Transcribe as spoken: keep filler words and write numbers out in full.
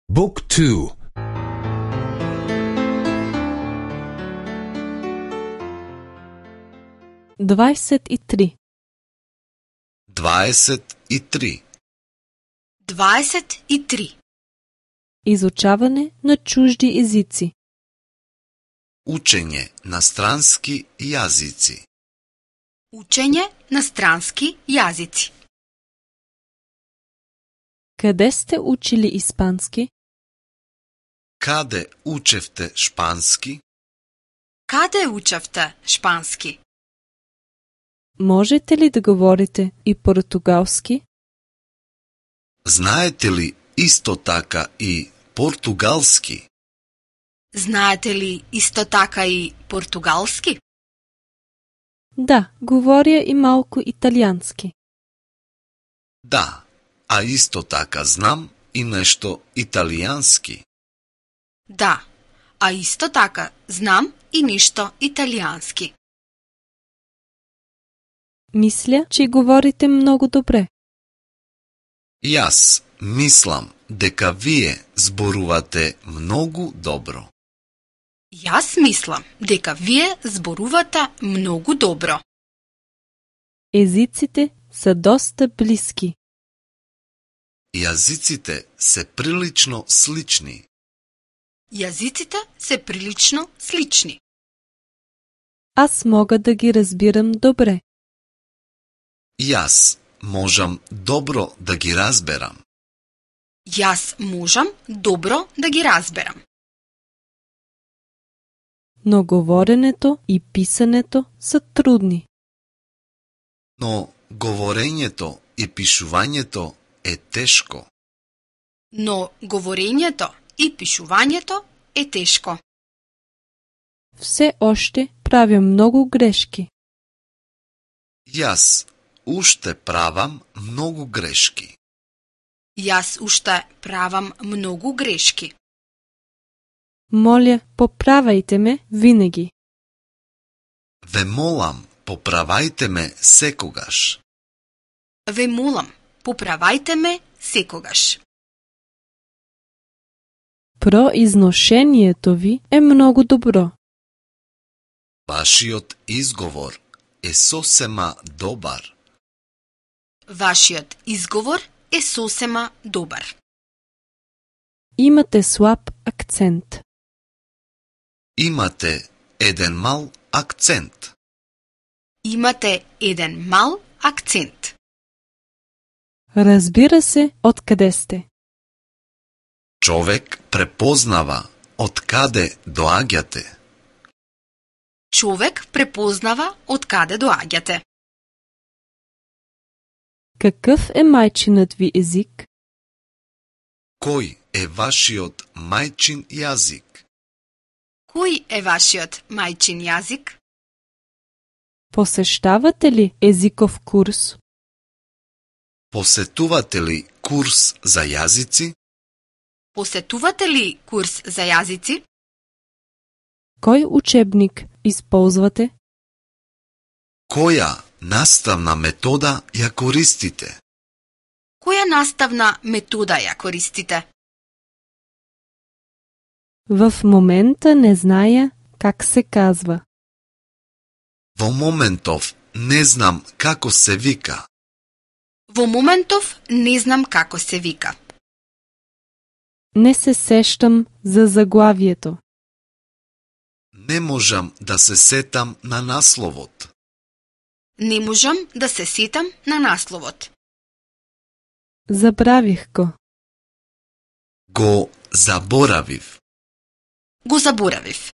Book two. дваесет и три. дваесет и три. дваесет и три. Изучаване на чужди езици. Учење на странски јазици. Учење на странски јазици. Къде сте учили испански? Каде учевте шпански? Каде учевте шпански? Можете ли да говорите и португалски? Знаете ли исто така и португалски? Знаете ли исто така и португалски? Да, говоря и малко италиански. Да, а исто така знам и нешто италијански. Да, а исто така знам и нешто италијански. Мисля, че говорите много добре. Јас мислам дека вие зборувате многу добро. Јас мислам дека вие зборувате многу добро. Езиците са доста близки. Јазиците се прилично слични. Јазиците се прилично слични. Аз мога да ги разбирам добре. Јас можам добро да ги разберам. Јас можам добро да ги разберам. Но говоренето и писането са трудни. Но говорењето и пишувањето е тешко. Но говорењето и пишувањето е тешко. Все още правя много грешки. Јас уште правам многу грешки. Јас уште правам многу грешки. Моля, поправајте ме винаги. Ве молам, поправајте ме секогаш. Ве молам, поправајте ме секогаш. Произношението ви е много добро. Вашиот изговор е сосема добар. Вашиот изговор е сосема добар. Имате слаб акцент. Имате еден мал акцент. Имате еден мал акцент. Разбира се, откъде сте. Човек препознава од каде доаѓате. Човек препознава од каде доаѓате. Какъв е майчинът ви език? Кој е вашиот мајчин јазик? Кој е вашиот мајчин јазик? Посещавате ли езиков курс? Посетувате ли курс за јазици? Посетувате ли курс за јазици? Кой учебник използвате? Која наставна метода ја користите? Која наставна метода ја користите? В момента не зная как се казва. Во моментов не знам како се вика. Во моментов не знам како се вика. Не се сещам за заглавието. Не можам да се сетам на насловот. Не можам да се сетам на насловот. Забравих го. Го заборавив. Го заборавив.